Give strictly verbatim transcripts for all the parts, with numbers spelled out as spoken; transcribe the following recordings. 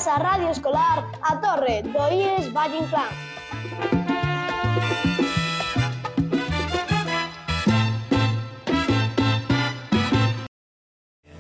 Grazas á Radio Escolar A Torre do I E S Valle Inclán.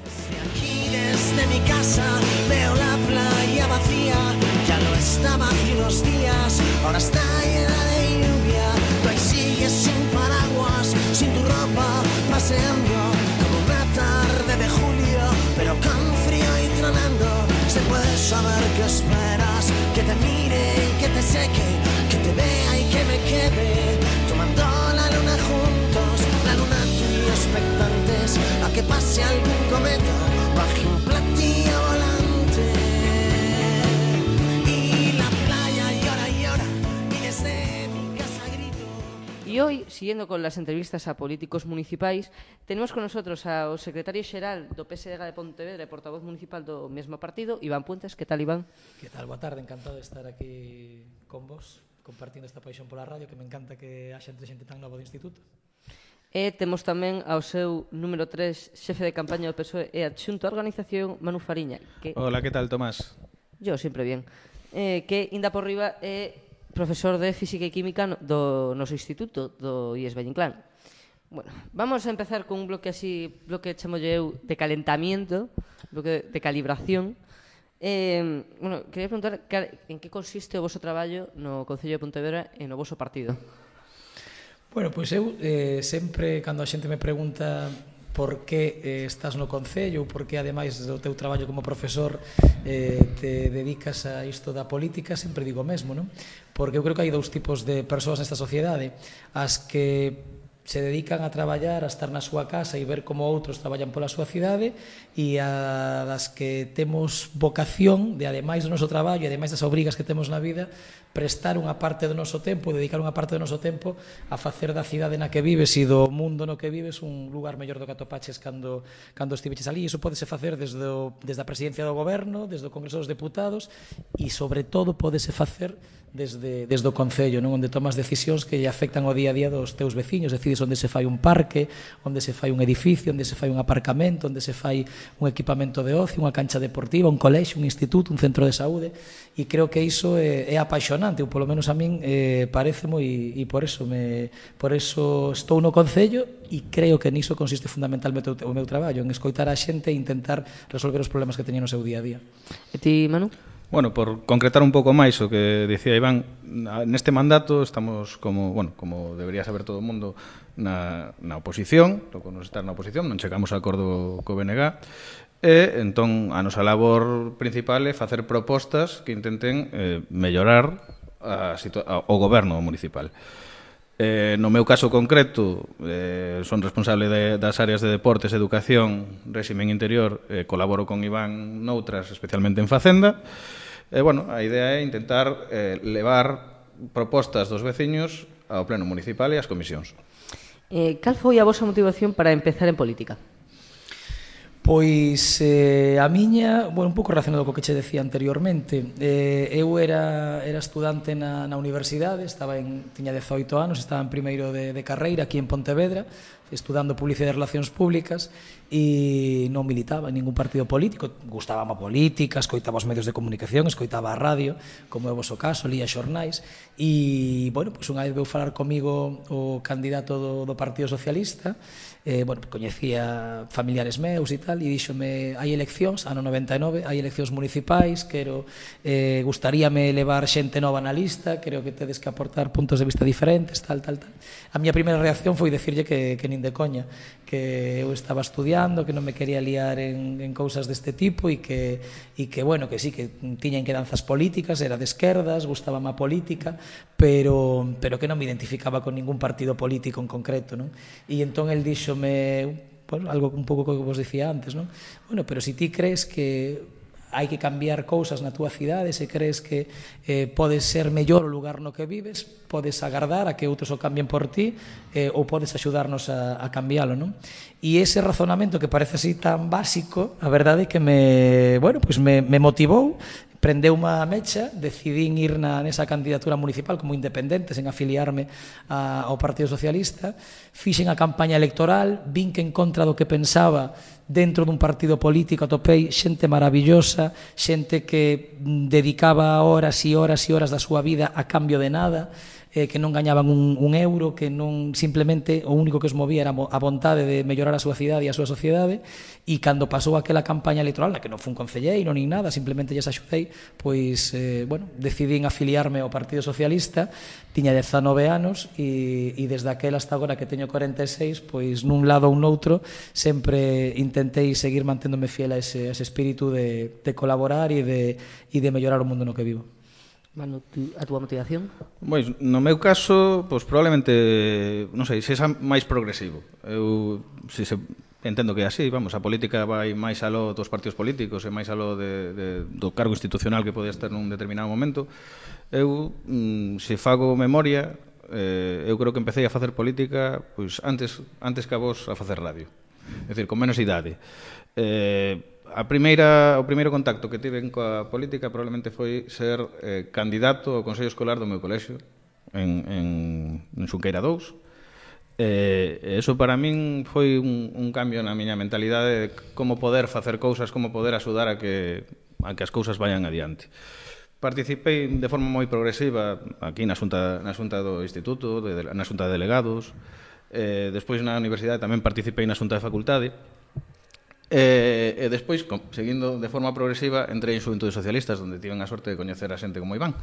Desde aquí, desde mi casa, veo la playa vacía. Ya no estaba hace unos días, ahora está llena de lluvia. Tú ahí sigues sin paraguas, sin tu ropa, paseando como una tarde de julio, pero con frío y tronando. Se puede saber qué esperas, que te mire y que te seque, que te vea y que me quede, tomando la luna juntos, la luna tú y yo expectantes, a que pase algún cometa, baje un platillo volante. Y la playa llora y llora, y desde mi casa grito. Y hoy, siguiendo con las entrevistas a políticos municipais, tenemos con nosotros ao secretario xeral do P S D G de Pontevedra e portavoz municipal do mesmo partido, Iván Puentes. Que tal, Iván? Que tal? Boa tarde, encantado de estar aquí con vos, compartindo esta paixón pola radio, que me encanta que haxa entre xente tan nova do instituto. E temos tamén ao seu número tres xefe de campaña do P S O E e adxunto á organización, Manu Fariña. Que... Hola, que tal, Tomás? Yo, sempre bien. Eh, que, inda por riba, é profesor de Física e Química no, do noso instituto, do I E S Valle Inclán. Bueno, vamos a empezar con un bloque así, bloque chamo eu de calentamiento, bloque de calibración. Eh, bueno, quería preguntar en que consiste o voso traballo no Concello de Pontevedra e no voso partido. Bueno, pois eu eh, sempre, cando a xente me pregunta por que eh, estás no Concello ou por que, ademais do teu traballo como profesor, eh, te dedicas a isto da política, sempre digo o mesmo, non? Porque eu creo que hai dous tipos de persoas nesta sociedade, as que se dedican a traballar, a estar na súa casa e ver como outros traballan pola súa cidade, e a das que temos vocación de, ademais do noso traballo e ademais das obrigas que temos na vida, prestar unha parte do noso tempo, dedicar unha parte do noso tempo a facer da cidade na que vives e do mundo no que vives un lugar mellor do que atopaches cando, cando estiveches ali. E iso podese facer desde, o, desde a presidencia do goberno, desde o Congreso dos Deputados e, sobre todo, podese facer desde, desde o Concello, non? Onde tomas decisións que lle afectan o día a día dos teus veciños, decides onde se fai un parque, onde se fai un edificio, onde se fai un aparcamento, onde se fai un equipamento de ocio, unha cancha deportiva, un colexio, un instituto, un centro de saúde, e creo que iso é, é apaixonante, ou polo menos a min eh, parece moi, e por eso me, por eso estou no Concello, e creo que niso consiste fundamentalmente o meu traballo, en escoitar a xente e intentar resolver os problemas que teñen no seu día a día. E ti, Manu? Bueno, por concretar un pouco máis o que dicía Iván, neste mandato estamos como, bueno, como debería saber todo o mundo, na, na oposición, toco nos estar na oposición, non chegamos a acordo co B N G, e entón a nosa labor principal é facer propostas que intenten eh, mellorar a a, o goberno municipal. Eh, no meu caso concreto, eh, son responsable de, das áreas de deportes, educación, réximen interior, eh, colaboro con Iván noutras, especialmente en Facenda. E, bueno, a idea é intentar eh, levar propostas dos veciños ao pleno municipal e ás comisións. Eh, cal foi a vosa motivación para empezar en política? Pois eh, a miña, bueno, un pouco relacionado co que che decía anteriormente, eh, eu era, era estudante na, na universidade, estaba en, tiña dezoito anos, estaba en primeiro de, de carreira aquí en Pontevedra, estudando Publicidade e Relacións Públicas, e non militaba en ningún partido político, gustábame a política, escoitaba os medios de comunicación, escoitaba a radio, como é o voso caso, lía xornais, e, bueno, pois unha vez veu falar comigo o candidato do, do Partido Socialista, eh, bueno, coñecía familiares meus e tal, e díxome, hai eleccións, ano noventa e nove, hai eleccións municipais, quero, eh, gustaríame levar xente nova na lista, creo que tedes que aportar puntos de vista diferentes, tal, tal, tal. A miña primeira reacción foi decirlle que, que nin de coña, que eu estaba estudiando, que non me quería liar en, en cousas deste tipo, e que, e que, bueno, que sí, que tiñan que danzas políticas, era de esquerdas, gustábame a política, pero, pero que non me identificaba con ningún partido político en concreto, non? E entón el díxome, bueno, algo un pouco que vos dicía antes, non? Bueno, pero se ti crees que hai que cambiar cousas na túa cidade, se crees que eh, podes ser mellor o lugar no que vives, podes agardar a que outros o cambien por ti, eh, ou podes axudarnos a, a cambiálo, non? E ese razonamento que parece así tan básico, a verdade é que me, bueno, pues me, me motivou, prendeu unha mecha, decidín ir na, nesa candidatura municipal como independente, sen afiliarme a, ao Partido Socialista, fixen a campaña electoral, vin que en contra do que pensaba dentro dun partido político atopei xente maravillosa, xente que dedicaba horas e horas e horas da súa vida a cambio de nada, eh, que non gañaban un, un euro, que non simplemente o único que os movía era a vontade de mellorar a súa cidade e a súa sociedade, e cando pasou aquela campaña electoral, na que non fun concelleiro nin nada, simplemente lles axudei, pois, eh, bueno, decidín afiliarme ao Partido Socialista, tiña dezanove anos, e, e desde aquel hasta agora que teño corenta e seis, pois nun lado ou noutro, sempre intentei seguir manténdome fiel a ese, a ese espírito de, de colaborar e de, e de mellorar o mundo no que vivo. Manu, a túa motivación? Pois, no meu caso, pois probablemente, non sei, se é máis progresivo. Eu, se se, entendo que é así, vamos, a política vai máis aló dos partidos políticos e máis aló de, de, do cargo institucional que podes ter nun determinado momento. Eu, mm, se fago memoria, eh, eu creo que empecé a facer política pois antes, antes que a vos a facer radio. É dicir, con menos idade. Eh, A primeira, o primeiro contacto que tive coa política probablemente foi ser eh, candidato ao Consello Escolar do meu colexio en, en, en Xunqueira dous. Eh, eso para min foi un, un cambio na miña mentalidade de como poder facer cousas, como poder axudar a que, a que as cousas vayan adiante. Participei de forma moi progresiva aquí na xunta, na xunta do Instituto, de, na xunta de delegados, eh, despois na universidade tamén participei na xunta de facultade. E, e despois, seguindo de forma progresiva, entrei en Xuventudes Socialistas, onde tiven a sorte de coñecer a xente como Iván,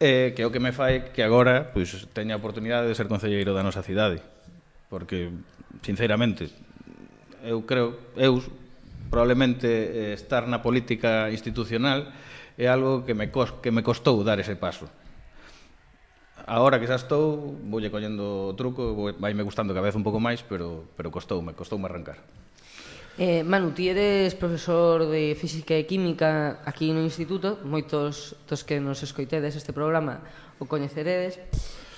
e, que é o que me fai que agora pois, teña a oportunidade de ser concelleiro da nosa cidade, porque, sinceramente, eu creo, eu probablemente estar na política institucional é algo que me, cos, que me costou dar ese paso. Agora que xa estou, voulle collendo o truco, vai me gustando cada vez un pouco máis, pero, pero costoume, costoume arrancar. Eh, Manu, ti eres profesor de Física e Química aquí no Instituto, moitos dos que nos escoitedes este programa o coñeceredes.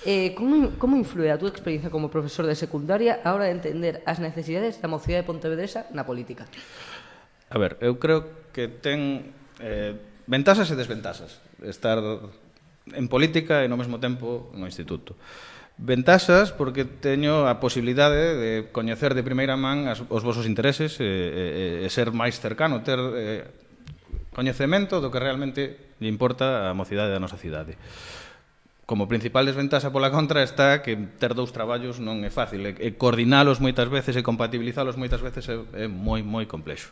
Eh, como, como influe a túa experiencia como profesor de secundaria a hora de entender as necesidades da mocidade pontevedresa na política? A ver, eu creo que ten eh, ventaxas e desventaxas estar en política e no mesmo tempo no Instituto. Ventaxas porque teño a posibilidade de coñecer de primeira man as, os vosos intereses e, e, e ser máis cercano, ter eh, coñecemento do que realmente lle importa a mocidade da nosa cidade. Como principal desventaxa pola contra está que ter dous traballos non é fácil e, e coordinalos moitas veces e compatibilizalos moitas veces é, é moi, moi complexo.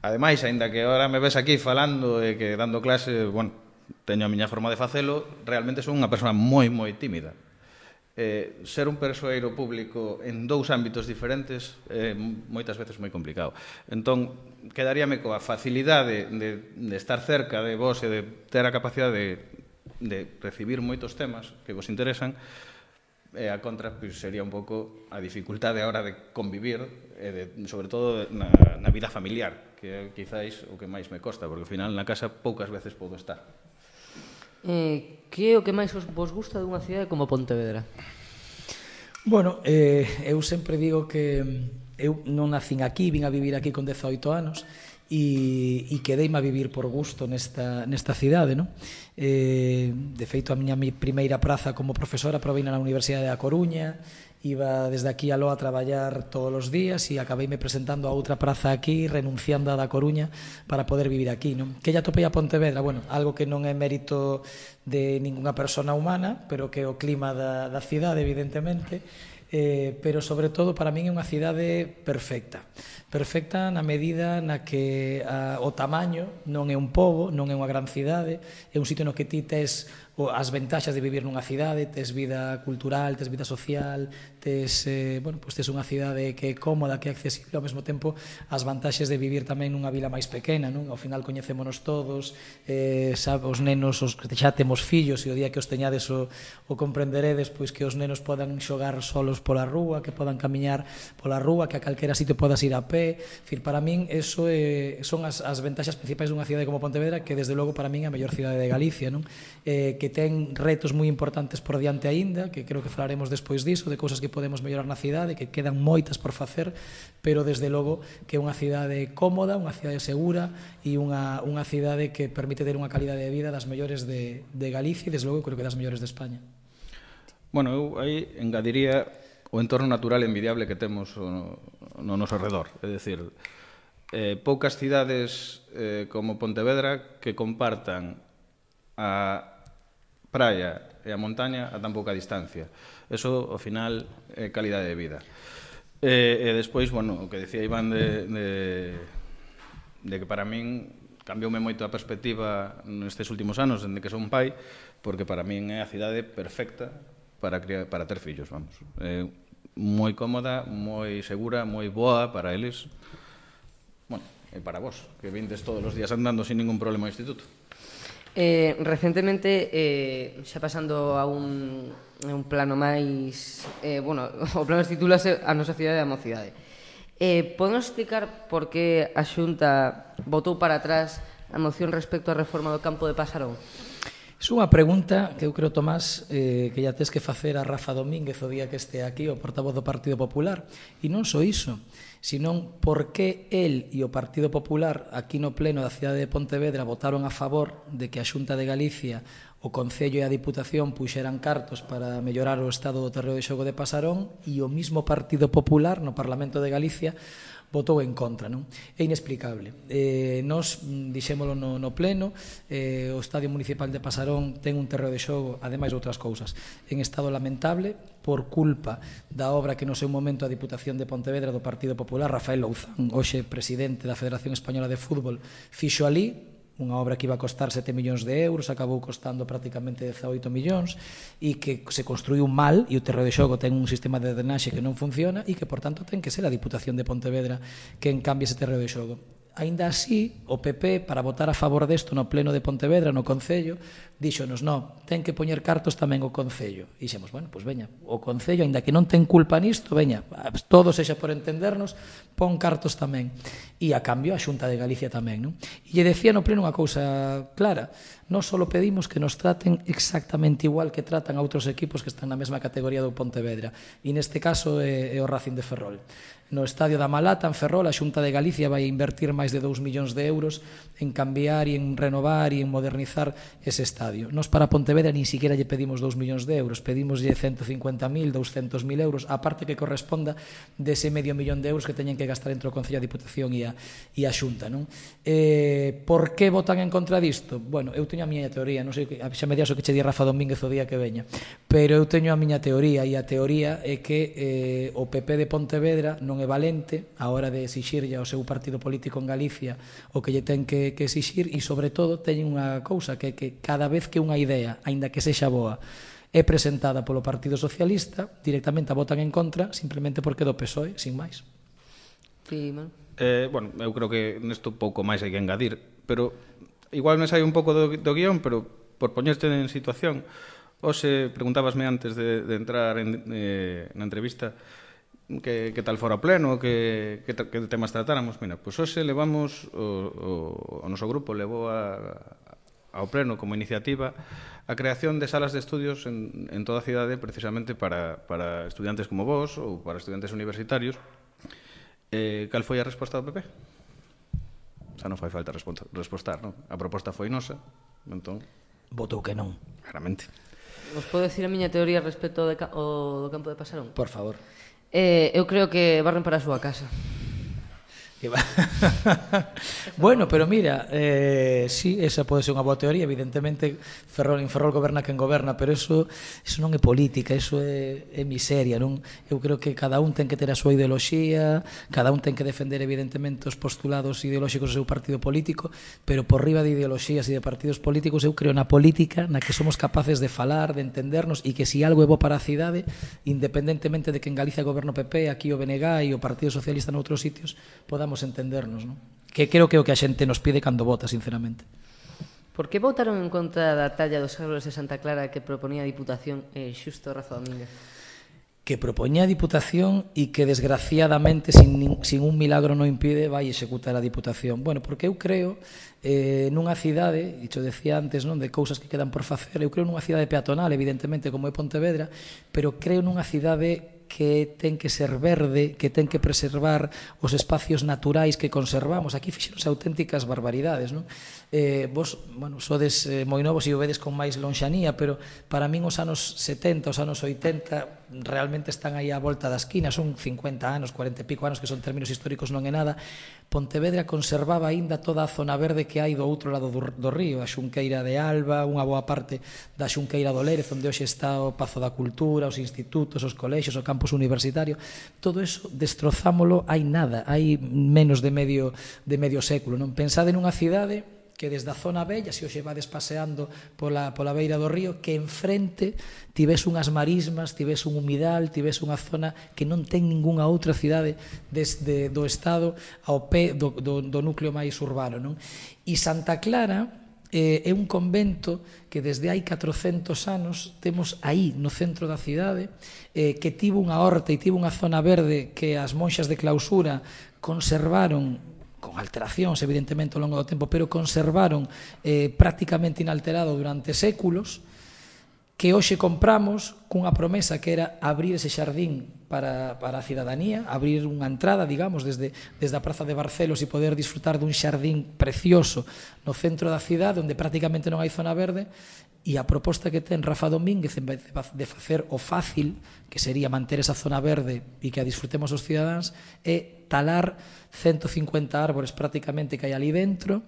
Ademais, aínda que agora me ves aquí falando e que dando clase, bueno, teño a miña forma de facelo, realmente son unha persona moi, moi tímida. Eh, ser un persoeiro público en dous ámbitos diferentes é eh, moitas veces moi complicado. Entón, quedaríame coa facilidade de, de estar cerca de vos e de ter a capacidade de, de recibir moitos temas que vos interesan, e a contra pues, sería un pouco a dificultade a hora de convivir e de, sobre todo na, na vida familiar, que é quizáis o que máis me costa, porque ao final na casa poucas veces podo estar. Eh, que é o que máis vos gusta dunha cidade como Pontevedra? Bueno, eh, eu sempre digo que eu non nacín aquí, vin a vivir aquí con dezaoito anos e, e quedeime a vivir por gusto nesta, nesta cidade, non? Eh, de feito, a miña primeira praza como profesora proveina na Universidade da Coruña, iba desde aquí aló a traballar todos os días e acabeime presentando a outra praza aquí, renunciando a da Coruña para poder vivir aquí, non? Que ya topei a Pontevedra, bueno, algo que non é mérito de ningunha persona humana, pero que é o clima da, da cidade, evidentemente, eh, pero sobre todo para min é unha cidade perfecta. Perfecta na medida na que a, o tamaño non é un pobo, non é unha gran cidade, é un sitio no que ti tes as ventaxas de vivir nunha cidade, tes vida cultural, tes vida social, tes, eh, bueno, pues tes unha cidade que é cómoda, que é accesible, ao mesmo tempo as vantaxes de vivir tamén nunha vila máis pequena, non? Ao final coñecémonos todos, eh, sabe, os nenos, os que xa temos fillos, e o día que os teñades o, o comprenderedes, pois que os nenos podan xogar solos cartos pola rúa, que podan camiñar pola rúa, que a calquera sitio podas ir a pé. Dicir, para min, eso é, son as, as ventaxas principais dunha cidade como Pontevedra, que desde logo para min é a mellor cidade de Galicia, non? Eh, que ten retos moi importantes por diante aínda, que creo que falaremos despois diso, de cousas que podemos mellorar na cidade, que quedan moitas por facer, pero desde logo que é unha cidade cómoda, unha cidade segura e unha, unha cidade que permite ter unha calidade de vida das mellores de, de Galicia e desde logo creo que das mellores de España. Bueno, eu aí engadiría o entorno natural envidiable que temos no, no noso redor. É dicir, eh, poucas cidades eh, como Pontevedra que compartan a praia e a montaña a tan pouca distancia. Eso, ao final, é calidade de vida. E, e despois, bueno, o que decía Iván de, de, de que para min cambioume moito a perspectiva nestes últimos anos, dende que son pai, porque para min é a cidade perfecta para criar, para ter fillos, vamos. É moi cómoda, moi segura, moi boa para eles. Bueno, e para vos, que vindes todos os días andando sin ningún problema ao instituto. Eh, recentemente, eh, xa pasando a un, a un plano máis... Eh, bueno, o plano titúlase A nosa cidade e a mocidade. Eh, Podemos explicar por que a Xunta votou para atrás a moción respecto á reforma do campo de Pasarón? É unha pregunta que eu creo, Tomás, eh, que ya tes que facer a Rafa Domínguez o día que este aquí, o portavoz do Partido Popular. E non só iso, senón por que el e o Partido Popular aquí no pleno da cidade de Pontevedra votaron a favor de que a Xunta de Galicia, o Concello e a Diputación puxeran cartos para mellorar o estado do terreo de xogo de Pasarón, e o mismo Partido Popular no Parlamento de Galicia votou en contra, non? É inexplicable. Eh, nos dixémolo no, no pleno, eh, o Estadio Municipal de Pasarón ten un terreo de xogo, ademais de outras cousas, en estado lamentable por culpa da obra que no seu momento a Diputación de Pontevedra do Partido Popular, Rafael Louzán, hoxe presidente da Federación Española de Fútbol, fixo ali unha obra que iba a costar sete millóns de euros, acabou costando prácticamente dezaoito millóns, e que se construiu mal, e o terreo de xogo ten un sistema de drenaxe que non funciona, e que, por tanto, ten que ser a Diputación de Pontevedra quen cambie ese terreo de xogo. Aínda así, o P P, para votar a favor desto no pleno de Pontevedra, no Concello, díxonos, non, ten que poñer cartos tamén o Concello. E dixemos, bueno, pois veña, o Concello, aínda que non ten culpa nisto, veña, todo sexa por entendernos, pon cartos tamén. E a cambio a Xunta de Galicia tamén, non? E lle decía no pleno unha cousa clara, non só pedimos que nos traten exactamente igual que tratan a outros equipos que están na mesma categoría do Pontevedra, e neste caso é, é o Racing de Ferrol. No estadio da Malata, en Ferrol, a Xunta de Galicia vai invertir máis de dous millóns de euros en cambiar e en renovar e en modernizar ese estadio. Nos para Pontevedra nin siquiera lle pedimos dous millóns de euros, pedimoslle ciento cincuenta mil, doscientos mil euros, a parte que corresponda dese medio millón de euros que teñen que gastar entre o Concello, a Diputación e a, e a Xunta, non? Eh, por que votan en contra disto? Bueno, eu teño a miña teoría, non sei, xa me dias o que che di Rafa Domínguez o día que veña, pero eu teño a miña teoría, e a teoría é que eh, o P P de Pontevedra non é valente a hora de exixirlle ao seu partido político en Galicia o que lle ten que, que exixir, e sobre todo teñen unha cousa, que é que cada vez que unha idea, aínda que sexa boa, é presentada polo Partido Socialista, directamente a votan en contra, simplemente porque do P S O E, sin máis. Sí, man. Eh, bueno, eu creo que nesto pouco máis hai que engadir, pero igual me sai un pouco do, do guión, pero por poñerte en situación, hoxe preguntábasme antes de, de entrar en, eh, na entrevista que, que tal fora o pleno, que, que, que temas tratáramos. Mira, pois hoxe levamos, o, o, o noso grupo levou a, ao pleno como iniciativa a creación de salas de estudios en, en toda a cidade, precisamente para, para estudiantes como vos ou para estudiantes universitarios. Eh, cal foi a resposta do P P? Xa non fai falta respostar, non? A proposta foi nosa, entón... Votou que non. Claramente. Os podo decir a miña teoría respecto ao, de, ao do campo de Pasarón? Por favor. Eh, eu creo que barren para a súa casa. Bueno, pero mira, eh, sí, esa pode ser unha boa teoría. Evidentemente Ferrol, en Ferrol goberna quen goberna, pero eso, eso non é política, eso é, é miseria, non? Eu creo que cada un ten que ter a súa ideoloxía, cada un ten que defender evidentemente os postulados ideolóxicos do seu partido político, pero por riba de ideoloxías e de partidos políticos eu creo na política na que somos capaces de falar, de entendernos, e que se si algo é bo para a cidade, independentemente de que en Galicia goberno P P, aquí o B N G e o Partido Socialista noutros sitios, podamos entendernos, non? Que creo que é o que a xente nos pide cando vota, sinceramente. Por que votaron en contra da talla dos árboles de Santa Clara que proponía a Diputación eh, xusto Rafa Domínguez? que propoñía a Diputación e que desgraciadamente sin, sin un milagro non impide vai executar a Diputación. Bueno, porque eu creo eh, nunha cidade, e xo decía antes, non, de cousas que quedan por facer, eu creo nunha cidade peatonal, evidentemente, como é Pontevedra, pero creo nunha cidade que ten que ser verde, que ten que preservar os espacios naturais que conservamos. Aquí fixeronse auténticas barbaridades, non? Eh, vos, bueno, sodes eh, moi novos e o vedes con máis lonxanía, pero para min os anos setenta, os anos oitenta realmente están aí á volta da esquina, son cincuenta anos, cuarenta e pico anos, que son términos históricos, non é nada. Pontevedra conservaba aínda toda a zona verde que hai do outro lado do, do río, a Xunqueira de Alba, unha boa parte da Xunqueira do Lérez, onde hoxe está o Pazo da Cultura, os institutos, os colexios, o campus universitario. Todo eso destrozámolo hai nada, hai menos de medio, de medio século, non? Pensade nunha cidade que desde a zona bella, se hoxe vades paseando pola, pola beira do río, que enfrente tivese unhas marismas, tivese un humidal, tivese unha zona que non ten ningunha outra cidade desde do estado ao pé do, do, do núcleo máis urbano, non? E Santa Clara eh, é un convento que desde hai catrocentos anos temos aí no centro da cidade, eh, que tivo unha horta e tivo unha zona verde que as monxas de clausura conservaron con alteracións, evidentemente, ao longo do tempo, pero conservaron eh, prácticamente inalterado durante séculos, que hoxe compramos cunha promesa que era abrir ese xardín para, para a cidadanía, abrir unha entrada, digamos, desde, desde a Praza de Barcelos e poder disfrutar dun xardín precioso no centro da cidade, onde prácticamente non hai zona verde, e a proposta que ten Rafa Domínguez en vez de facer o fácil, que sería manter esa zona verde e que a disfrutemos os cidadáns, é talar ciento cincuenta árbores prácticamente que hai ali dentro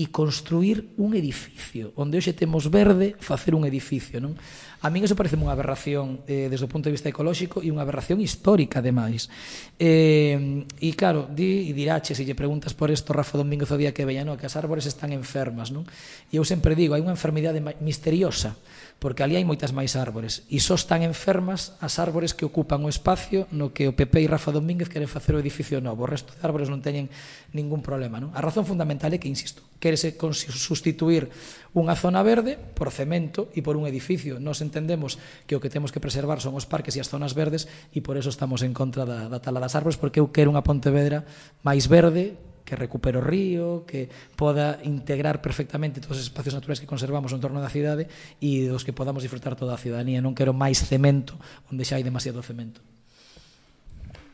e construir un edificio, onde hoxe temos verde, facer un edificio, non? A min iso parece unha aberración eh, desde o punto de vista ecolóxico e unha aberración histórica, ademais. Eh, e claro, di, e dirache, se lle preguntas por isto Rafa Domínguez o día que veía, no, que as árbores están enfermas, non? E eu sempre digo, hai unha enfermidade misteriosa, porque ali hai moitas máis árbores, e só están enfermas as árbores que ocupan o espacio no que o P P e Rafa Domínguez queren facer o edificio novo. O resto de árbores non teñen ningún problema, non? A razón fundamental é que, insisto, querese sustituir unha zona verde por cemento e por un edificio. Nos entendemos que o que temos que preservar son os parques e as zonas verdes, e por eso estamos en contra da, da tala das árbores, porque eu quero unha Pontevedra máis verde, que recupere o río, que poda integrar perfectamente todos os espacios naturais que conservamos en torno da cidade e dos que podamos disfrutar toda a cidadanía. Non quero máis cemento onde xa hai demasiado cemento.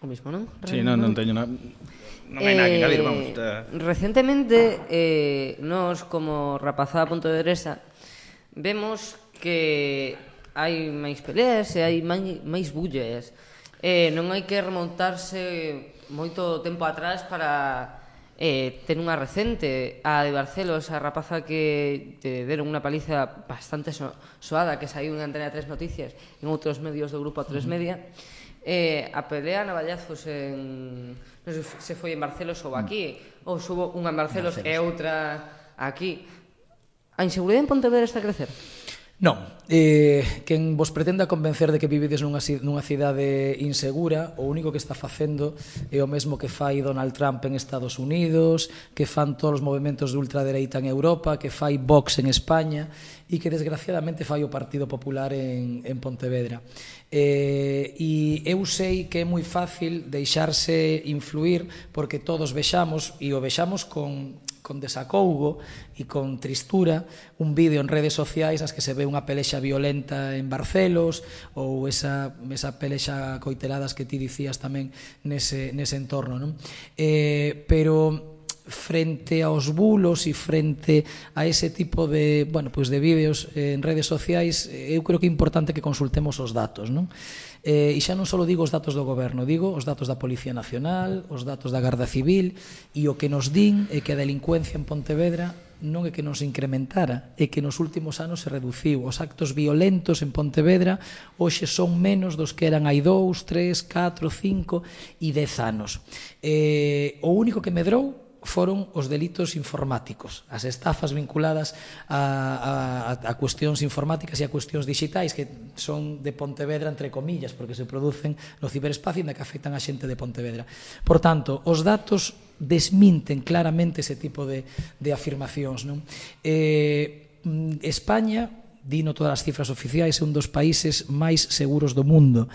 O mismo, non? Sí, non, non teño nada. Non hai nada que engadir, vamos. Está... Recentemente, eh, nós como rapazada pontevedresa vemos que hai máis peleas e hai máis, máis bullas. Eh, non hai que remontarse moito tempo atrás para eh, ter unha recente, a de Barcelos, a rapaza que te deron unha paliza bastante so, soada, que saiu en Antena tres Noticias, en outros medios do grupo A tres Media. Eh, a pelea a navallazos en... non sei se foi en Barcelos ou aquí, ou subo unha en Barcelos, Barcelos e outra aquí. A inseguridade en Pontevedra está a crecer? Non, eh, quen vos pretenda convencer de que vivides nunha, nunha cidade insegura, o único que está facendo é o mesmo que fai Donald Trump en Estados Unidos, que fan todos os movimentos de ultradereita en Europa, que fai Vox en España e que desgraciadamente fai o Partido Popular en, en Pontevedra. Eh, e eu sei que é moi fácil deixarse influir porque todos vexamos, e o vexamos con... con desacougo e con tristura un vídeo en redes sociais nas que se ve unha pelexa violenta en Barcelos ou esa, esa pelexa coiteladas que ti dicías tamén nese, nese entorno, non? Eh, pero frente aos bulos e frente a ese tipo de, bueno, pues de vídeos en redes sociais, eu creo que é importante que consultemos os datos, non? Eh, e xa non só digo os datos do goberno, digo os datos da Policía Nacional, os datos da Garda Civil, e o que nos din é que a delincuencia en Pontevedra non é que nos incrementara, é que nos últimos anos se reduciu. Os actos violentos en Pontevedra hoxe son menos dos que eran hai dous, tres, catro, cinco e dez anos. Eh, o único que medrou foron os delitos informáticos, as estafas vinculadas a, a, a cuestións informáticas e a cuestións digitais que son de Pontevedra entre comillas, porque se producen no ciberespacio e que afectan a xente de Pontevedra. Por tanto, os datos desminten claramente ese tipo de, de afirmacións, non? Eh, España, dino todas as cifras oficiais, é un dos países máis seguros do mundo.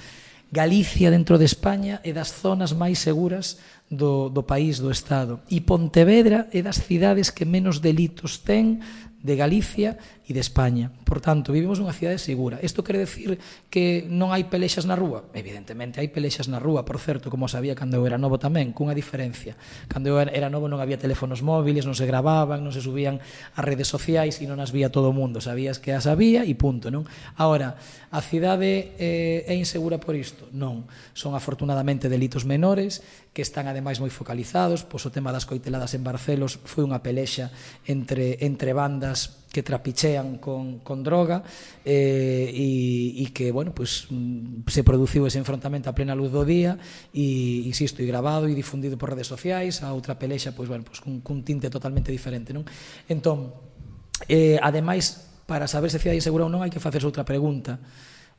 Galicia dentro de España é das zonas máis seguras do, do país, do Estado. E Pontevedra é das cidades que menos delitos ten de Galicia e de España. Por tanto, vivimos nunha cidade segura. Isto quere decir que non hai pelexas na rúa? Evidentemente hai pelexas na rúa, por certo, como sabía cando eu era novo tamén, cunha diferencia. Cando eu era novo non había teléfonos móviles, non se gravaban, non se subían as redes sociais e non as vía todo o mundo. Sabías que as había e punto, non? Ahora, a cidade eh, é insegura por isto? Non. Son afortunadamente delitos menores que están ademais moi focalizados. Pois o tema das coiteladas en Barcelos foi unha pelexa entre, entre bandas que trapichean con, con droga eh, e, e que, bueno, pues, se produciu ese enfrontamento a plena luz do día e, insisto, e grabado e difundido por redes sociais. A outra pelexa, pues, bueno, pues, cun, cun tinte totalmente diferente, non? Entón, eh, ademais, para saber se cidade insegura ou non, hai que facerse outra pregunta.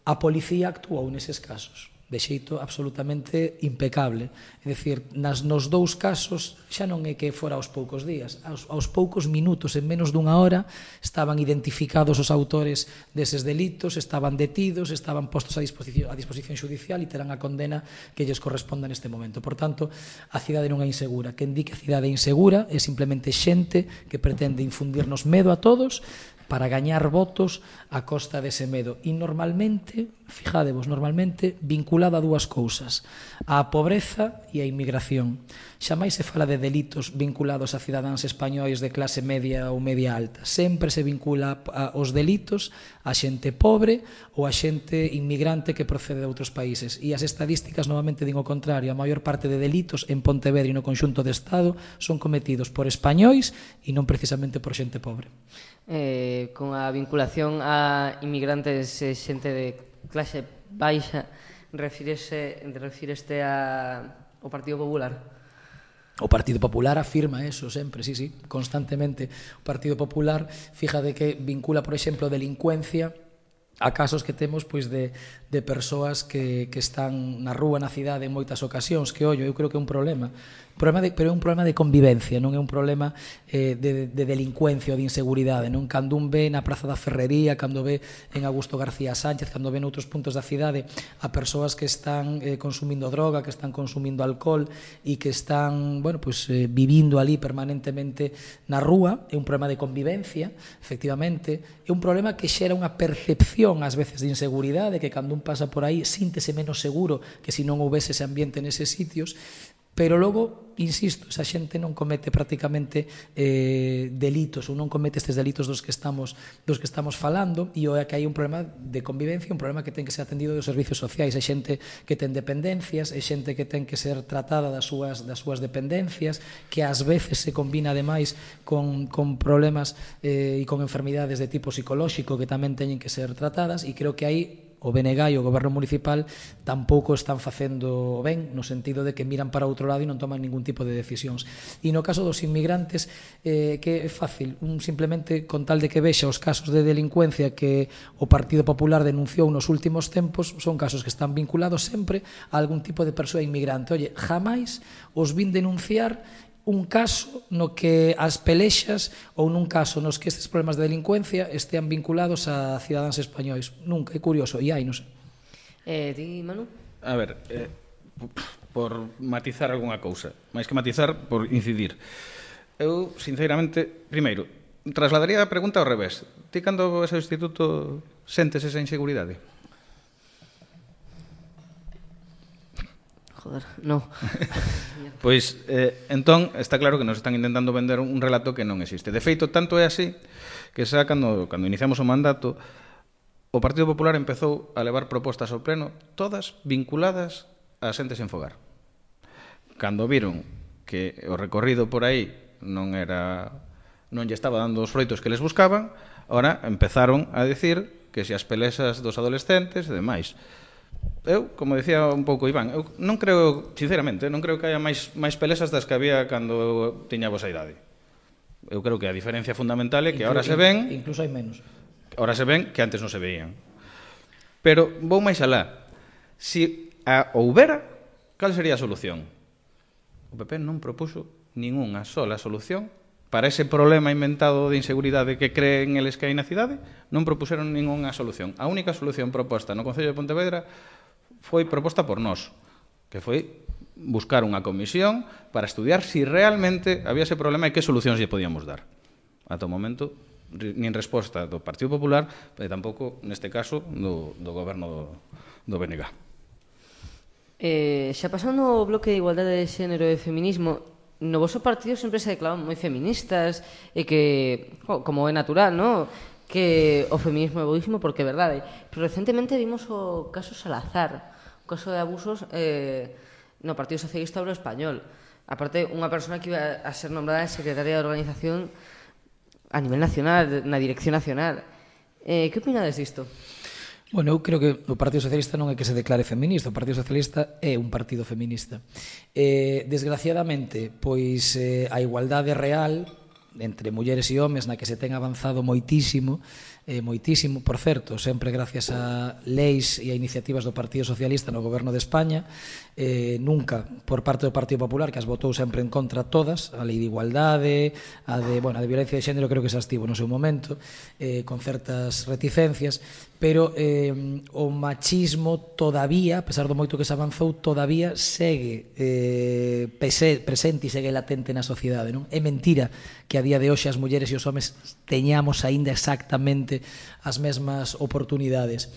A policía actuou neses casos de xeito absolutamente impecable. É dicir, nas, nos dous casos xa non é que fora aos poucos días, aos, aos poucos minutos, en menos dunha hora, estaban identificados os autores deses delitos, estaban detidos, estaban postos a disposición, a disposición xudicial e terán a condena que lles corresponda neste momento. Por tanto, a cidade non é insegura. Quen di que a cidade é insegura é simplemente xente que pretende infundirnos medo a todos para gañar votos a costa dese medo. E normalmente, fijadevos, normalmente vinculado a dúas cousas, a pobreza e a inmigración. Xamais se fala de delitos vinculados a cidadáns españois de clase media ou media alta. Sempre se vincula aos delitos a xente pobre ou a xente inmigrante que procede de outros países. E as estadísticas novamente din o contrario. A maior parte de delitos en Pontevedra e no conxunto do Estado son cometidos por españois e non precisamente por xente pobre. Eh, con a vinculación a inmigrantes e xente de clase baixa, refírese, refíreste a, ao Partido Popular? O Partido Popular afirma eso sempre, sí, sí, constantemente. O Partido Popular, fíjate que vincula, por exemplo, delincuencia a casos que temos, pois, de, de persoas que, que están na rúa, na cidade, en moitas ocasións, que, ollo, eu creo que é un problema. problema de, pero é un problema de convivencia, non é un problema eh, de, de delincuencia ou de inseguridade, non? Cando un ve na Praza da Ferrería, cando ve en Augusto García Sánchez, cando ve noutros puntos da cidade a persoas que están eh, consumindo droga, que están consumindo alcohol e que están, bueno, pues, eh, vivindo ali permanentemente na rúa, é un problema de convivencia, efectivamente, é un problema que xera unha percepción ás veces de inseguridade, que cando un pasa por aí síntese menos seguro que se non houvese ese ambiente neses sitios. Pero logo, insisto, esa xente non comete prácticamente eh, delitos ou non comete estes delitos dos que estamos dos que estamos falando, e é que hai un problema de convivencia, un problema que ten que ser atendido dos servicios sociais. É xente que ten dependencias, é xente que ten que ser tratada das súas, das súas dependencias, que ás veces se combina ademais con, con problemas eh, e con enfermidades de tipo psicolóxico que tamén teñen que ser tratadas, e creo que aí o B N G e o Goberno Municipal tampouco están facendo ben, no sentido de que miran para outro lado e non toman ningún tipo de decisións. E no caso dos inmigrantes, eh, que é fácil, un simplemente con tal de que vexa os casos de delincuencia que o Partido Popular denunciou nos últimos tempos, son casos que están vinculados sempre a algún tipo de persoa inmigrante. Oye, jamais os vin denunciar un caso no que as pelexas ou nun caso nos que estes problemas de delincuencia estean vinculados a cidadáns españois. Nunca, é curioso, e hai, non sei. Eh, ti, Manu? A ver, eh, por matizar algunha cousa, máis que matizar, por incidir. Eu, sinceramente, primeiro, trasladaría a pregunta ao revés. Ti, cando vas ao instituto, sentes esa inseguridade? Joder, no. Pois, eh, entón, está claro que nos están intentando vender un relato que non existe. De feito, tanto é así que xa cando, cando iniciamos o mandato, o Partido Popular empezou a levar propostas ao pleno, todas vinculadas a xente sen fogar. Cando viron que o recorrido por aí non era, non lle estaba dando os froitos que les buscaban, ahora empezaron a dicir que se as pelexas dos adolescentes e demais. Eu, como decía un pouco Iván, eu non creo, sinceramente, non creo que haya máis, máis pelexas das que había cando tiña a vosa idade. Eu creo que a diferencia fundamental é que agora se ven... Incluso hai menos. Ahora se ven que antes non se veían. Pero vou máis alá. Si a houbera, cal sería a solución? O P P non propuxo ningunha sola solución para ese problema inventado de inseguridade que creen eles que hai na cidade. Non propuxeron ningunha solución. A única solución proposta no Concello de Pontevedra foi proposta por nós, que foi buscar unha comisión para estudiar si realmente había ese problema e que solucións lle podíamos dar. Ata o momento, nin resposta do Partido Popular, e tampouco, neste caso, do, do goberno do, do B N G. Eh, xa pasando o bloque de igualdade de xénero e feminismo, no voso partido sempre se declaraban moi feministas e que, oh, como é natural, no? Que o feminismo é boísimo porque é verdade. Pero recentemente vimos o caso Salazar, o caso de abusos eh, no Partido Socialista Obrero Español. Aparte, unha persona que iba a ser nombrada secretaria de organización a nivel nacional, na dirección nacional. Eh, que opinades disto? Bueno, eu creo que o Partido Socialista non é que se declare feminista, o Partido Socialista é un partido feminista. Eh, desgraciadamente, pois eh, a igualdade real entre mulleres e homes na que se ten avanzado moitísimo, eh, moitísimo, por certo, sempre gracias a leis e a iniciativas do Partido Socialista no goberno de España, eh, nunca por parte do Partido Popular, que as votou sempre en contra todas, a lei de igualdade, a de, bueno, a de violencia de xénero creo que se estivo no seu momento, eh, con certas reticencias, pero eh, o machismo todavía, a pesar do moito que se avanzou, todavía segue eh, pese, presente e segue latente na sociedade, non? É mentira que a día de hoxe as mulleres e os homes teñamos aínda exactamente as mesmas oportunidades.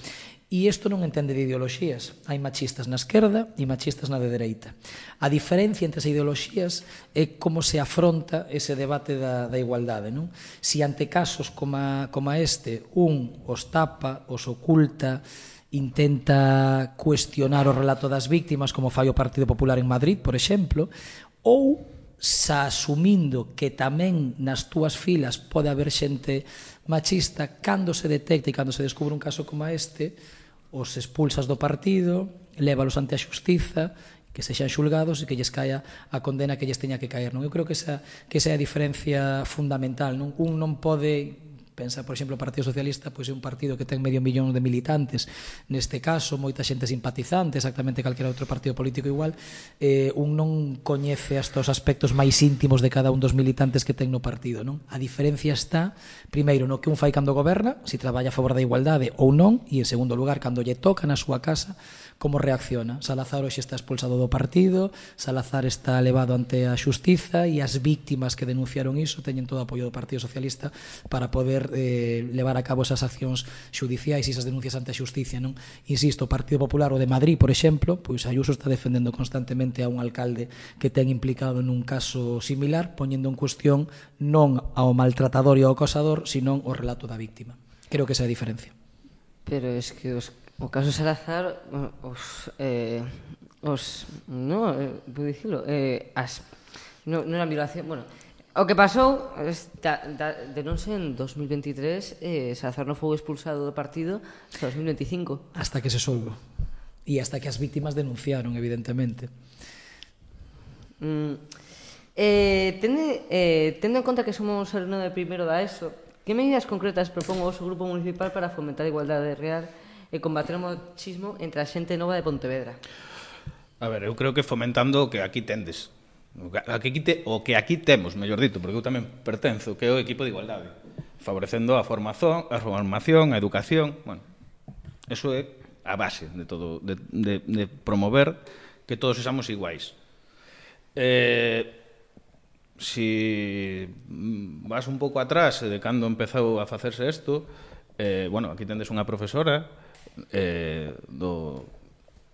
E isto non entende de ideoloxías. Hai machistas na esquerda e machistas na de dereita. A diferencia entre as ideoloxías é como se afronta ese debate da, da igualdade, non? Si ante casos como, a, como a este un os tapa, os oculta, intenta cuestionar o relato das víctimas, como fai o Partido Popular en Madrid, por exemplo, ou xa asumindo que tamén nas túas filas pode haber xente machista, cando se detecta e cando se descubre un caso como este, os expulsas do partido, lévalos ante a xustiza, que sexan xulgados e que lles caia a condena que lles teña que caer, non? Eu creo que esa, que esa é a diferencia fundamental, non? Un non pode... Pensa, por exemplo, o Partido Socialista pois é un partido que ten medio millón de militantes, neste caso moita xente simpatizante, exactamente calquera outro partido político igual, eh, un non coñece hasta os aspectos máis íntimos de cada un dos militantes que ten no partido, non? A diferencia está, primeiro, no que un fai cando goberna, se traballa a favor da igualdade ou non, e en segundo lugar, cando lle toca na súa casa, como reacciona. Salazar hoxe está expulsado do partido, Salazar está levado ante a xustiza e as víctimas que denunciaron iso teñen todo o apoio do Partido Socialista para poder eh, levar a cabo esas accións xudiciais e esas denuncias ante a xusticia, non? Insisto, o Partido Popular, o de Madrid, por exemplo, pois Ayuso está defendendo constantemente a un alcalde que ten implicado nun caso similar, poñendo en cuestión non ao maltratador e ao acosador, sino o relato da víctima. Creo que esa é a diferencia. Pero es que os, o caso Salazar, os, eh, os, no, eh, puedo dicirlo, eh, as, no, non era violación, bueno, o que pasou, da, da, de non ser en dos mil veintitrés, eh, Salazar non foi expulsado do partido hasta dos mil veinticinco. Hasta que se soubo. E hasta que as víctimas denunciaron, evidentemente. Mm, eh, tende, eh, tendo en conta que somos alumnos de primeiro da ESO, que medidas concretas propón o vosso grupo municipal para fomentar a igualdade real e combater o machismo entre a xente nova de Pontevedra? A ver, eu creo que fomentando o que aquí tendes. O que aquí, te, o que aquí temos, mellor dito, porque eu tamén pertenzo, que é o equipo de igualdade. Favorecendo a formación, a formación, a educación, bueno, eso é a base de todo, de, de, de promover que todos sexamos iguais. Eh, si vas un pouco atrás de cando empezou a facerse isto, eh, bueno, aquí tendes unha profesora eh, do,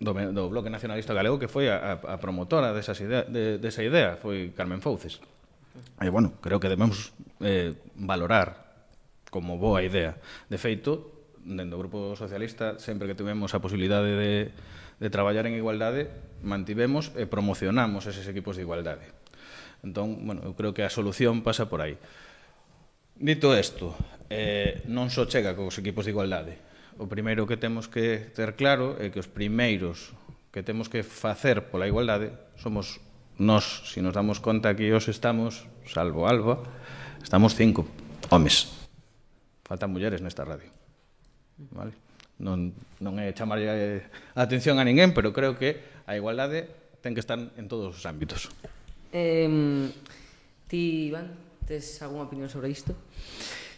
do, do Bloque Nacionalista Galego que foi a, a promotora desas idea, de, desa idea, foi Carmen Fouces. E, bueno, creo que debemos eh, valorar como boa idea. De feito, dentro do Grupo Socialista, sempre que tivemos a posibilidade de, de traballar en igualdade, mantivemos e promocionamos eses equipos de igualdade. Entón, bueno, eu creo que a solución pasa por aí. Dito isto, eh, non só chega cos equipos de igualdade. O primeiro que temos que ter claro é que os primeiros que temos que facer pola igualdade somos nós. Se nos damos conta que hoxe estamos, salvo Alba, estamos cinco homes. Faltan mulleres nesta radio. Vale? Non, non é chamarlle a atención a ninguén, pero creo que a igualdade ten que estar en todos os ámbitos. Eh, ti, Iván, tes algunha opinión sobre isto?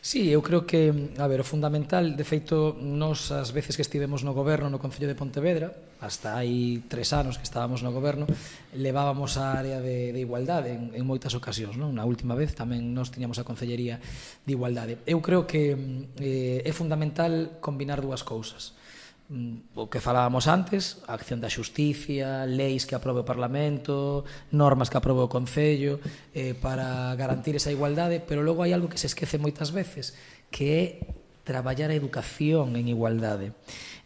Sí, eu creo que, a ver, o fundamental, de feito, nos as veces que estivemos no goberno no Concello de Pontevedra, hasta hai tres anos que estábamos no goberno, levábamos a área de, de igualdade en, en moitas ocasións, non? Na última vez tamén nos tiñamos a Concellería de Igualdade. Eu creo que eh, é fundamental combinar dúas cousas. O que falábamos antes, a acción da xusticia, leis que aprobe o Parlamento, normas que aprobe o Concello, eh, para garantir esa igualdade, pero logo hai algo que se esquece moitas veces, que é traballar a educación en igualdade.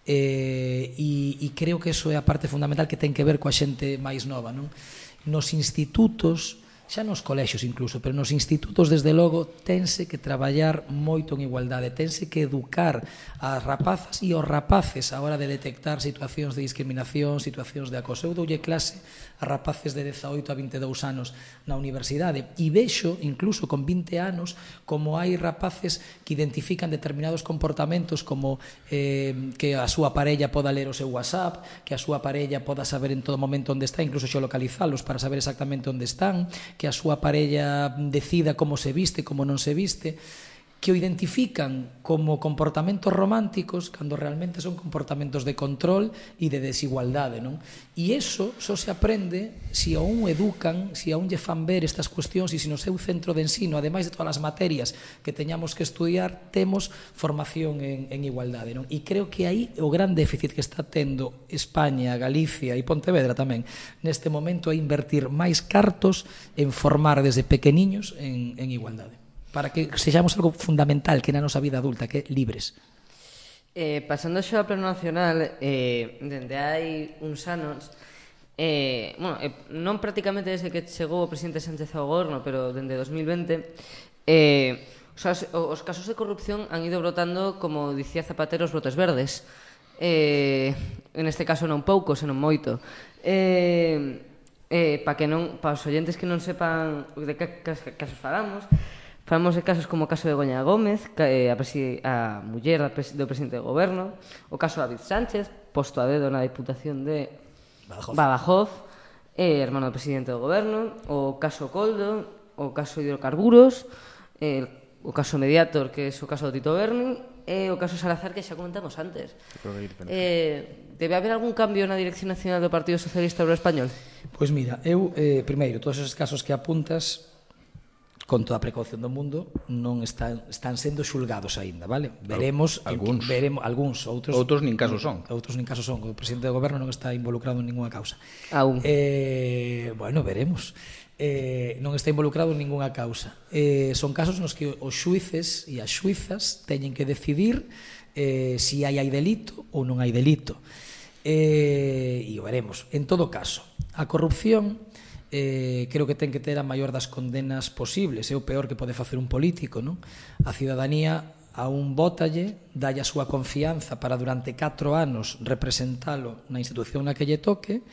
Eh, e, e creo que eso é a parte fundamental que ten que ver coa xente máis nova, non? Nos institutos, xa nos colexios incluso, pero nos institutos, desde logo, tense que traballar moito en igualdade, tense que educar as rapazas e os rapaces a hora de detectar situacións de discriminación, situacións de acoso. Eu doulle clase a rapaces de dezaoito a vinte e dous anos na universidade e vexo, incluso con vinte anos, como hai rapaces que identifican determinados comportamentos como eh, que a súa parella poda ler o seu WhatsApp, que a súa parella poda saber en todo momento onde está, incluso xeolocalizalos para saber exactamente onde están, que a súa parella decida como se viste, como non se viste, que o identifican como comportamentos románticos cando realmente son comportamentos de control e de desigualdade, non? E iso só se aprende se a un educan, se a un lle fan ver estas cuestións e se no seu centro de ensino, ademais de todas as materias que teñamos que estudiar, temos formación en, en igualdade, non? E creo que aí o gran déficit que está tendo España, Galicia e Pontevedra tamén neste momento é invertir máis cartos en formar desde pequeniños en, en igualdade, para que sexamos algo fundamental que na nosa vida adulta, que é libres. Eh, pasando xo ao plano nacional, eh, dende hai uns anos, eh, bueno, eh, non prácticamente desde que chegou o presidente Sánchez ao goberno, pero dende dos mil vinte, eh, os, os casos de corrupción han ido brotando, como dicía Zapatero, os brotes verdes. Eh, en este caso non pouco, senón moito. Eh, eh, para que non, para os oyentes que non sepan de que casos falamos, falamos de casos como o caso de Goña Gómez, que, a, a muller do presidente do goberno, o caso de David Sánchez, posto a dedo na Diputación de Badajoz, Badajoz eh, hermano do presidente do goberno, o caso Coldo, o caso Hidrocarburos, eh, o caso Mediator, que é o caso do Tito Berni, e o caso Salazar, que xa comentamos antes. Eh, debe haber algún cambio na Dirección Nacional do Partido Socialista Obrero Español? Pois mira, eu, eh, primeiro, todos esos casos que apuntas, con toda a precaución do mundo, non están, están sendo xulgados aínda, vale? Veremos, algúns, en, veremos algúns, outros outros nin casos son. Outros nin casos son, o presidente do goberno non está involucrado en ninguna causa. Aún. Eh, bueno, veremos. Eh, non está involucrado en ninguna causa. Eh, son casos nos que os xuíces e as xuizas teñen que decidir eh, si hai hai delito ou non hai delito. Eh, e o veremos. En todo caso, a corrupción Eh, creo que ten que ter a maior das condenas posibles. É o peor que pode facer un político, non? A cidadanía a un votalle, dalle a súa confianza para durante catro anos representalo na institución na que lle toque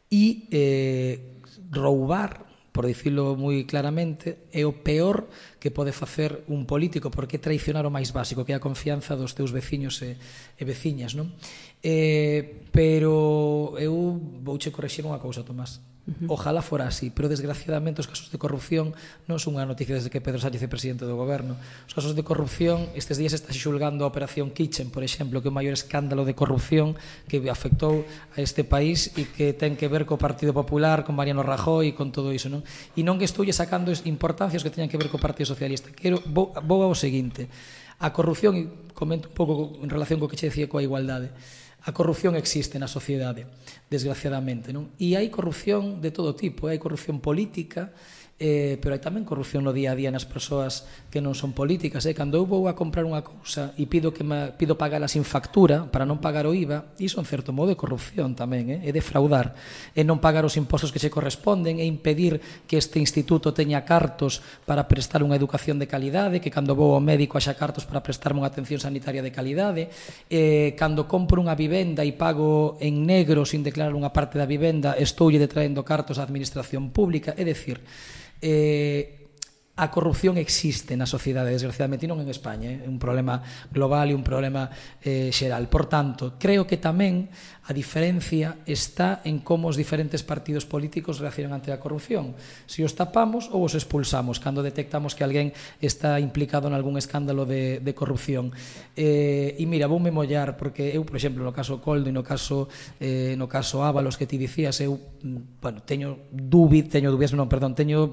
e eh, roubar, por dicilo moi claramente, é o peor que pode facer un político, porque é traicionar o máis básico, que é a confianza dos teus veciños e, e veciñas, non? Eh, pero eu vouche correxir unha cousa, Tomás. Ojalá fora así, pero desgraciadamente os casos de corrupción non son unha noticia desde que Pedro Sánchez é presidente do goberno. Os casos de corrupción, estes días está xulgando a Operación Kitchen, por exemplo, que é o maior escándalo de corrupción que afectou a este país e que ten que ver co Partido Popular, con Mariano Rajoy e con todo iso, non? E non que estoulle sacando importancias que teñan que ver co Partido Socialista. Quero, vou, vou ao seguinte. A corrupción, e comento un pouco en relación co que che decía coa igualdade, a corrupción existe na sociedade, desgraciadamente, non? E hai corrupción de todo tipo, hai corrupción política, eh, pero hai tamén corrupción no día a día nas persoas que non son políticas. Eh? Cando eu vou a comprar unha cousa e pido que me, pido pagala sin factura para non pagar o I V A, iso en certo modo é corrupción tamén, eh? É defraudar, é non pagar os impostos que se corresponden, é impedir que este instituto teña cartos para prestar unha educación de calidade, que cando vou ao médico haxa cartos para prestarme unha atención sanitaria de calidade, eh, cando compro unha vivenda e pago en negro sin declarar unha parte da vivenda, estoulle detraendo cartos á administración pública. É dicir, Eh, a corrupción existe na sociedade, desgraciadamente, e non en España, é un problema global e un problema eh, xeral. Por tanto, creo que tamén a diferencia está en como os diferentes partidos políticos reaccionan ante a corrupción. Se os tapamos ou os expulsamos cando detectamos que alguén está implicado en algún escándalo de, de corrupción. Eh, e mira, voume mollar, porque eu, por exemplo, no caso Coldo e no caso, eh, no caso Ábalos que ti dicías, eu, bueno, teño dúbid, teño dúbidas, non, perdón, teño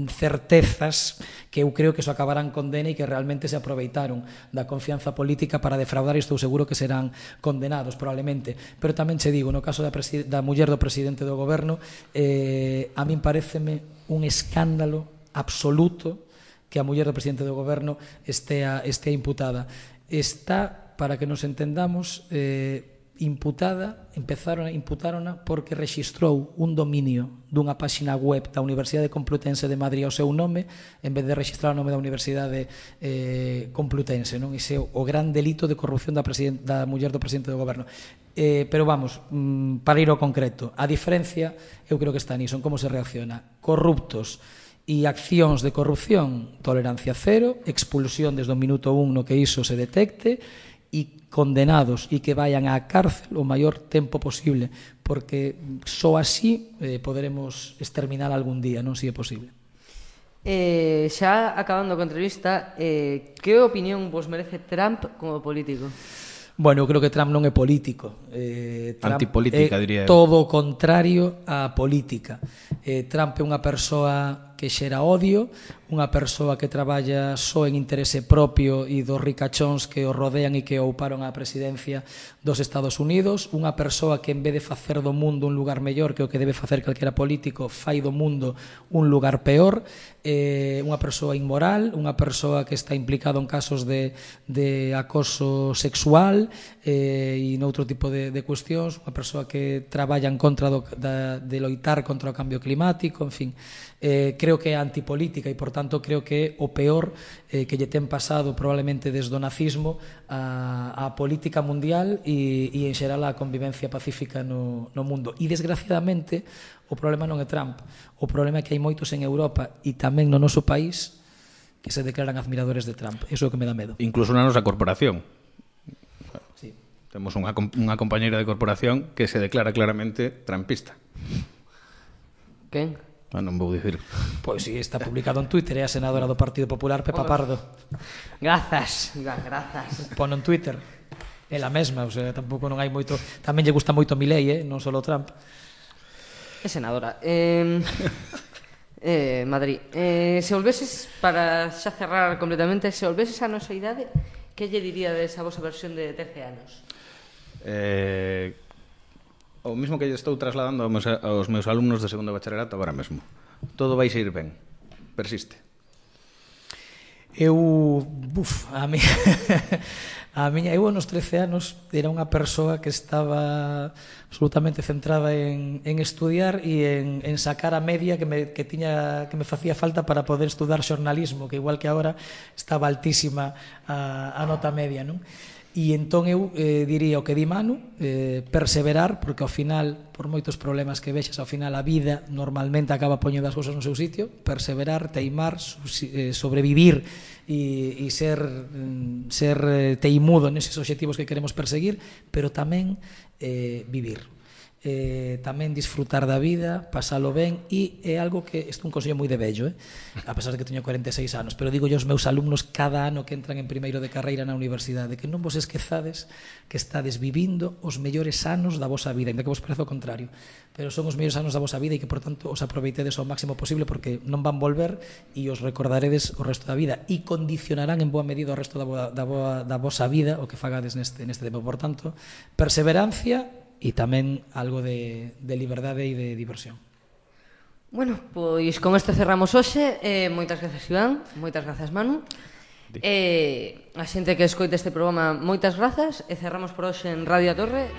certezas que eu creo que eso acabarán condena e que realmente se aproveitaron da confianza política para defraudar, e estou seguro que serán condenados probablemente. Pero tamén che digo, no caso da, da muller do presidente do goberno, eh, a min pareceme un escándalo absoluto que a muller do presidente do goberno estea, estea imputada. Está, para que nos entendamos, eh, imputada, empezaron a imputárona porque rexistrou un dominio dunha páxina web da Universidade Complutense de Madrid ao seu nome en vez de registrar o nome da Universidade eh, Complutense, non? Ese é o gran delito de corrupción da, da muller do presidente do goberno. Eh, pero vamos, mm, para ir ao concreto, a diferencia eu creo que está niso, en como se reacciona. Corruptos e accións de corrupción, tolerancia cero, expulsión desde o minuto un no que iso se detecte, e condenados e que vayan á cárcel o maior tempo posible, porque só así eh, poderemos exterminar algún día, non, se é posible. Eh, xa acabando a entrevista, eh, que opinión vos merece Trump como político? Bueno, eu creo que Trump non é político. Eh, Trump Antipolítica, é diría eu. todo o contrario á política. Eh, Trump é unha persoa que xera odio, unha persoa que traballa só en interese propio e dos ricachóns que o rodean e que ouparon a presidencia dos Estados Unidos, unha persoa que en vez de facer do mundo un lugar mellor que o que debe facer calquera político, fai do mundo un lugar peor, eh, unha persoa inmoral, unha persoa que está implicado en casos de, de acoso sexual eh, e noutro tipo de, de cuestións, unha persoa que traballa en contra do, da, de loitar contra o cambio climático, en fin, eh, creo que é antipolítica e, por tanto, creo que é o peor eh, que lle ten pasado probablemente desde o nazismo a, a política mundial e, e en xeral a convivencia pacífica no, no mundo. E, desgraciadamente, o problema non é Trump, o problema é que hai moitos en Europa e tamén no noso país que se declaran admiradores de Trump. Iso é o que me dá medo. Incluso na nosa corporación. Sí. Temos unha, unha compañeira de corporación que se declara claramente trumpista. Quen? Ah, non vou dicir. Pois si, está publicado en Twitter, é a senadora do Partido Popular, Pepa Pardo. Grazas, Iván, grazas. Pono en Twitter. Ela mesma, o sea, tampouco non hai moito... Tamén lle gusta moito Milei, eh? Non só Trump. É senadora. Eh, eh, Madrid. Eh, se volveses, para xa cerrar completamente, se volveses a nosa idade, que lle diríades a vosa versión de trece anos? Eh... O mismo que lle estou trasladando aos meus, aos meus alumnos de segundo bacharelato agora mesmo. Todo vai ir ben. Persiste. Eu, uf, a mi, a miña, eu nos trece anos era unha persoa que estaba absolutamente centrada en, en estudiar e en, en sacar a media que me, que tiña, que me facía falta para poder estudar xornalismo, que igual que agora estaba altísima a, a nota media, non? E entón eu eh, diría o que di Manu, eh, perseverar, porque ao final, por moitos problemas que vexas, ao final a vida normalmente acaba poñendo as cousas no seu sitio, perseverar, teimar, eh, sobrevivir e, e ser, ser eh, teimudo neses obxectivos que queremos perseguir, pero tamén eh, vivir. Eh, tamén disfrutar da vida, pasalo ben, e é algo que isto é un consello moi de vello, eh? A pesar de que teño cuarenta e seis anos, pero digo yo aos meus alumnos cada ano que entran en primeiro de carreira na universidade, que non vos esquezades que estades vivindo os mellores anos da vosa vida, ainda que vos parece o contrario, pero son os mellores anos da vosa vida e que, por tanto, os aproveitedes ao máximo posible porque non van volver e os recordaredes o resto da vida e condicionarán en boa medida o resto da, boa, da, boa, da vosa vida o que fagades neste, neste tempo. Por tanto, perseverancia e tamén algo de, de liberdade e de diversión. Bueno, pois con este cerramos hoxe. Eh, moitas grazas, Iván. Moitas grazas, Manu. Eh, a xente que escoita este programa, moitas grazas. E cerramos por hoxe en Radio A Torre.